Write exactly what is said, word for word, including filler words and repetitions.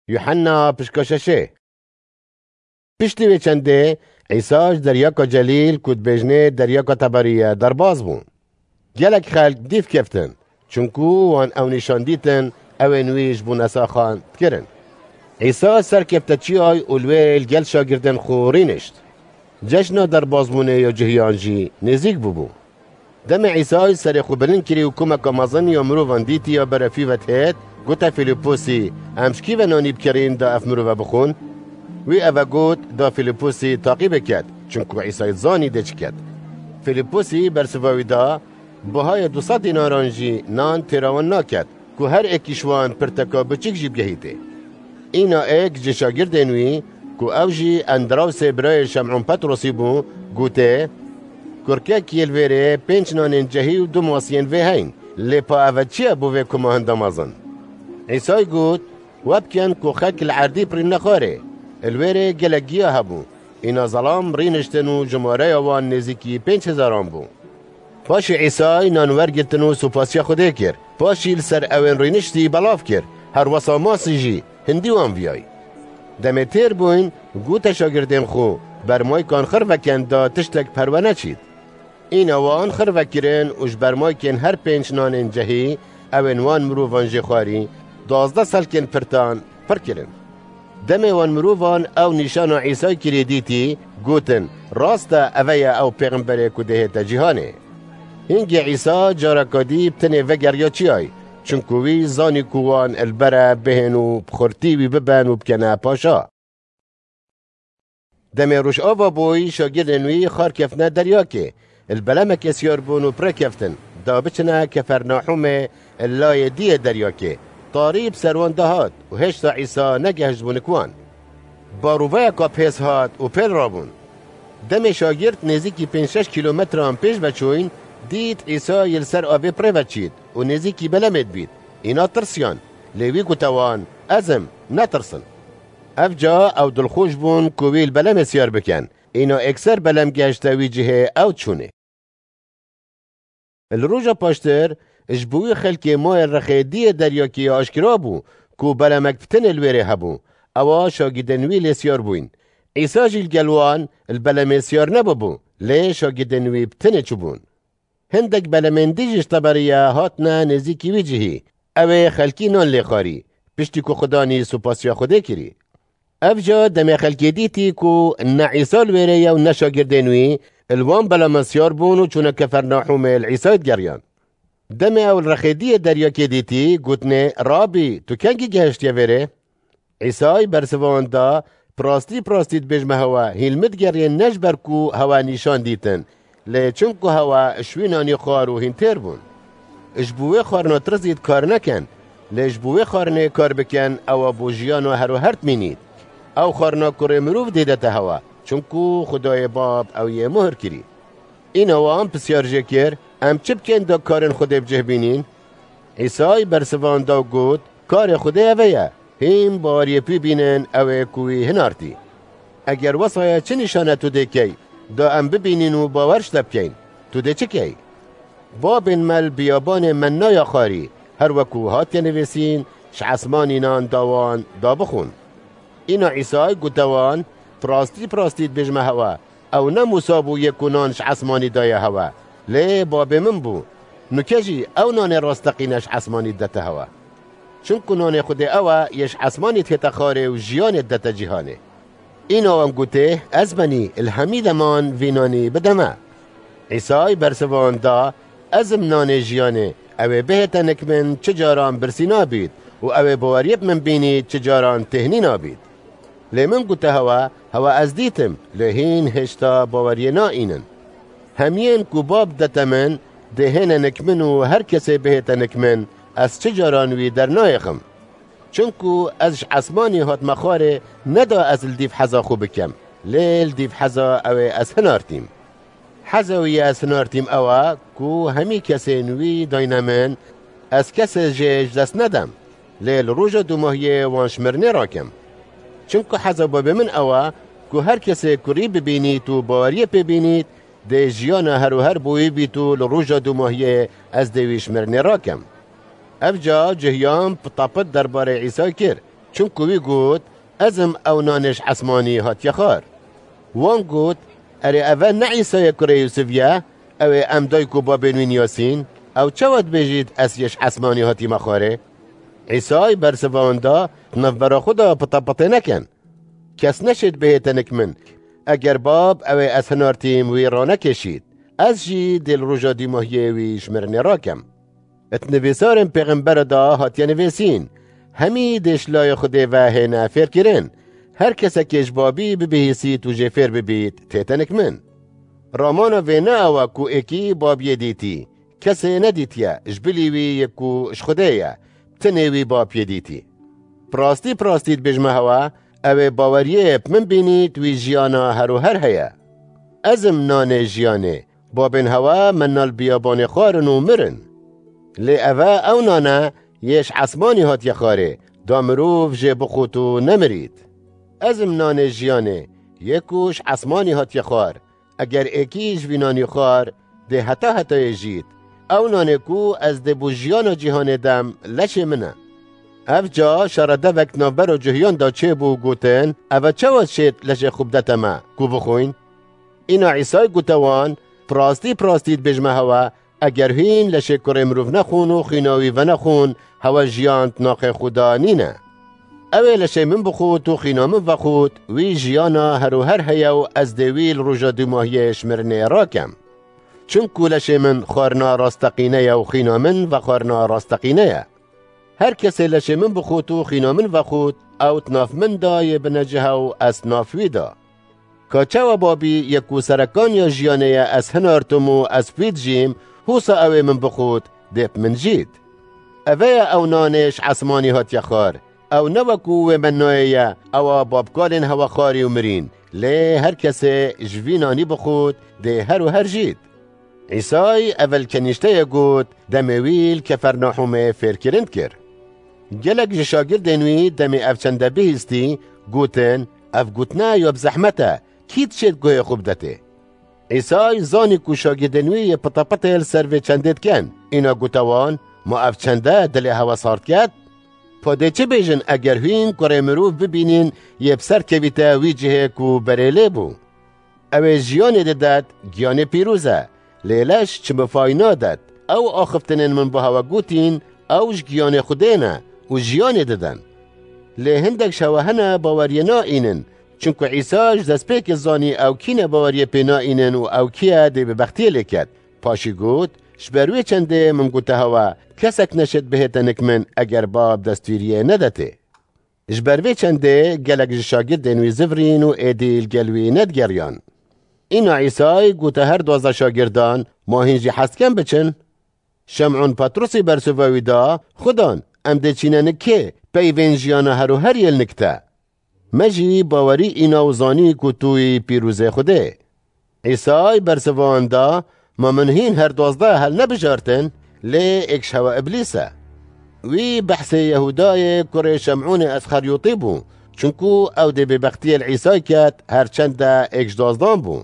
Yuhanna pişka şeşê. Piştî vê çendê, Îsa ji deryaka Celîl, ku dibêjinê deryaka Teberiye, derbas bû. Gelek xelk dîv keftin, çunku wan ew nîşan dîtin, ewên wî ji bo nesaxan dikirin. Îsa serkefte çiyay û li wê li gel şagirdên xwe rînişt. Cejna derbasbûnê ya cihiyan jî nêzîk bûbû. Demê Îsay serê xwe bilind kirî û komeka mezin ya mirovan dîtî ya berefî vedihêt, gote Fîlîposî, Em ji kî ve nanî bikerîn da ev mirove bixwin? Wî eve got, da Fîlîposî taqî biket, çunku Îsay zanî dê çi ket. Fîlîposî bersiva wî da, Bihayê du sed dînaran jî nan têra wan naket, ku her êkî ji wan pirteka biçûk jî bigehîtê. Îna êk ji şagirdên wî, ku ew jî Endrawsê birayê Şem'ûn Petrosî bû, gotê, Kurkek yê li vêrê pênc nanên cehî û du masiyên vê heyn, lê pa eve çi ye bo vê koma hinda mezin? Îsay got, We bikin ku xelk li erdî birînine xwarê. Li wêrê gelek giya hebû. Îna zelam rîniştin û jimareya wan nêzîkî pênc hezaran bû. Paşê Îsay nan wergirtin û supasiya Xwedê kir. Paşî li ser ewên rûniştî belav kir. Her wesa masî jî hindî wan viyay. Demê têr bûyn, gote şagirdên xwe, Bermaykan xirve ken da tiştek perwe neçît. Îna wan xirve kirin û ji bermaykên her pênc nanên cehî, ewên wan mirovan jê xwarî, duwazdeh selkên pirtan pir kirin. Demê wan mirovan ew nîşana Îsay kirî dîtî, gotin, Rast e, eve ye ew pêxemberê ku dê hête cîhanê. Hingê Îsa careka dî bi tenê vegeriya çiyay, çunku wî zanî ku wan li ber e bihên û bi xurtî wî biben û bikene paşa. Demê roj ava bûy, şagirdên wî xar keftine deryakê. Li belemekê siyar bûn û bi rê keftin, da biçine Kefernahûmê, li layê diyê deryakê. Tarî bi ser wan de hat û hêşta Îsa negehiştbû nik wan. Baroveyeka bihêz hat û pêl rabûn. Demê şagird nêzîkî pênc şeş kîlometran pêş ve çûyn, dît Îsa yê li ser avê bi rê ve çît û nêzîkî belemê dibît. Îna tirsiyan, lê wî gote wan, Ez im, netirsin. Ev ca ew dilxweş bûn ku wî li belemê siyar bikin. Îna êkser belem gehişte wî cihê ew çûnê. Li roja paştir, ji bo wî xelkê mayê rexê diyê deryakê ya aşkera bû ku belemek bi tenê li wêrê hebû. Ewa şagidên wî lê siyar bûyn. Îsa jî li gel wan li belemê siyar nebûbû, lê şagidên wî bi tenê çûbûn. Hindek belemên dî jî ji Teberiye hatine nêzîkî wî cihî. Ew ê xelkî nan lê xwarî, piştî ku xwe danî supasiya Xwedê kirî. Ev ca demê xelkê dîtî ku ne Îsa li wêrê ye û ne şagirdên wî, li wan belaman siyar bûn û çûne Kefernahûmê li Îsayê digeriyan. Demê ew li rexê diyê deryakê dîtî, gotinê, Rabî, tu kengî gehiştiye vêrê? Îsay bersiva wan da, Bi rastî, bi rastî dibêjime hewe, hîn li min digeriyên ne ji ber ku hewe nîşan dîtin, lê çimku hewe ji wî nanî xwar û hîn têr bûn. Ji bo wê xwarina tirsît kar nekin, lê ji bo wê xwarinê kar bikin, ewa bo jiyana her û her dimînît. Ew xwarina kurê mirov dêdete hewe, çimku Xwedayê Bab ew yê muhir kirî. Îna wan pisyar jê kir, Em çi bikin da karên Xwedê bi cih bînîn? Îsay bersiva wan da û got, Karê Xwedê eve ye, hîn baweriyê pî bînin, ew ê ku wî hinartî. Eger wesa ye, çi nîşane tu dê key, da em bibînîn û bawer ji te bikeyn? Tu dê çi key? Babên me li biyabanê mennaya xwarî, her weku hatiye nivîsîn, ji esmanî nan da wan, da bixwin. Îna Îsay gote wan, Bi rastî, bi rastî dibêjime hewe, Ew ne Mûsa bû yê ku nan ji esmanî daye hewe, lê Babê min bû. Nuke jî ew nanê rasteqîne ji esmanî didete hewe. Çimku nanê Xwedê ew e, yê ji esmanî dihête xwarê û jiyanê didete cîhanê. Îna wan gotê, Ez benî, li hemî deman vî nanî bide me. Îsay bersiva wan da, Ez im nanê jiyanê, ew ê bihête nik min çi caran birsî nabît û ew ê baweriyê bi min bînî çi caran têhnî nabît. Lê min gote hewe, hewe ez dîtim, lê hîn hêşta baweriyê naînin. Hemiyên ku Bab dete min, dê hêne nik min û her kesê bihête nik min, ez çi caran wî dernayêxim. Çimku ez ji esmanî hatime xwarê, ne da ez li dîv heza xwe bikem, lê li dîv heza ew ê ez hinartîm. Heza wî yê ez hinartîm ew e ku hemî kesên wî dayne min, ez kesê jê ji dest nedim, lê li roja dûmahiyê wan ji mirinê rakim. Çimku heza Babê min ew e ku her kesê kurî bibînît û baweriyê pê bînît, dê jiyana her û her bo wî bît û li roja dûmahiyê ez dê wî ji mirinê rakim. Ev ca cihiyan pitapit derbarê Îsay kir. Çimku wî got, "Ez im ew nanê ji esmanî hatiye xwar." Wan got, "Erê, ev e ne Îsa ye kurê Yûsif ye? Ew ê em dayik û babên wî niyasîn? Ew çawa dibêjît, 'Ez yê ji esmanî hatîme xwarê'?" Îsay bersiva wan da, "Di navbera xwe de pitepitê nekin. Kes neşêt bihê tenik min, eger Bab ew ê ez hinartîm wî ranekêşît, ez jî dê li roja dîmahiyê wî ji mirinê rakem." Di nivîsarên pêxembera de hatiye nivîsîn, "Hemî dê ji layê Xwedê ve hêne fêrkirin. Her kesekê ji Babî bibihîsît û jê fêr bibît, tê tenik min." Ramana vê ne ew e ku êkî Babiyê dîtî, kesê nedîtiye, ji bilî wî yê ku ji Xwedê ye, tenê wî Bapiyê dîtî. Bi rastî, bi rastî dibêjime hewe, ew ê baweriyê bi min bînît, wî jiyana her û her heye. Ez im nanê jiyanê. Babên hewe me nal biyabanê xwarin û mirin. Lê ev e ew nan e, yê ji esmanî hatiye xwarê, da mirov jê bixwit û nemirît. Ez im nanê jiyanê, yê ku ji esmanî hatiye xwar. Eger êkî ji vî nanî xwar, dê heta hetayê jît. Ew nanê ku ez dê bo jiyana cîhanê dem, leşê min e. Ev ca şaredevek navbera cihiyan da çêbû, gotin, "Ev e çawa şêt leşê xwe bidete me, ku bixwîn?" Îna Îsay gote wan, "Bi rastî, bi rastî dibêjime hewe, eger hîn leşê kurê mirov nexwin û xwîna wî venexwin, hewe jiyan di naxê xwe de nîne. Ew ê leşê min bixwit û xwîna min vexwit, wî jiyana her û her heye û ez dê wî li roja dûmahiyê ji mirinê rakem. Çimku leşê min xwarina rasteqîne ye û xwîna min vexwarina rasteqîne ye. Her kesê leşê min bixwit û xwîna min vexwit, ew di nav min de yê binecih e û ez di nav wî de. Ka çawa Babî yê ku serekaniya jiyanê ye ez hinartim û ez bi wî dijîm, hosa ew ê min bixwit, dê bi min jît. Ev e ew nanê ji esmanî hatiye xwar. Ew ne wekû wê mennayê ye, ewa babkalên hewe xwarî û mirîn, lê her kesê ji vî nanî bixwit, dê her û her jît." Îsay evel kenîşteyê got, demê wî li Kefernahûmê fêrkirin dikir. Gelek ji şagirdên wî demê ev çende bihîstî, gotin, "Ev gotine ya bi zehmet e, kî dişêt guhê xwe bidetê?" Îsay zanî ku şagirdên wî yê pitepitê li ser vê çendê dikin. Îna gote wan, "Ma ev çende dilê hewe sar diket? Pa dê çi bêjin eger hîn kurê mirov bibînin yê bi ser kevîte wî cihê ku berê lê bû? Ew ê jiyanê didet, giyanê pîroz e. Lê leş çi mifay nadet. Ew axiftinên min bo hewe gotîn, ew ji giyanê Xwedê ne û jiyanê didin. Lê hindek ji hewe hene baweriyê naînin, çimku Îsa ji destpêkê zanî ew kî ne baweriyê pê naînin û ew kî ye dê bêbextiyê lê ket. Paşî got, 'Ji ber wê çendê min gote hewe, kesek neşêt bihête nik min eger Bab destûriyê nedetê.'" Ji ber vê çendê gelek ji şagirdên wî zivirîn û êdî li gel wî nedigeriyan. Îna Îsay gote her duwazdeh şagirdan, "Ma hîn jî hez dikin biçin?" Şem'ûn Petrusî bersiva wî da, "Xudan, em dê çîne nik kê, peyvên jiyana her û her yê li nik te. Me jî bawerî îna û zanî ku tu yî pîrozê Xwedê." Îsay bersiva wan da, "Ma min hîn her duwazdeh hel nebijartin, lê êk ji hewe Îblîs e." Wî behsê Yehûdayê kurê Şem'ûnê Esxeryotî bû, çunku ew dê bêbextiyê li Îsay ket, her çende êk ji duwazdan bû.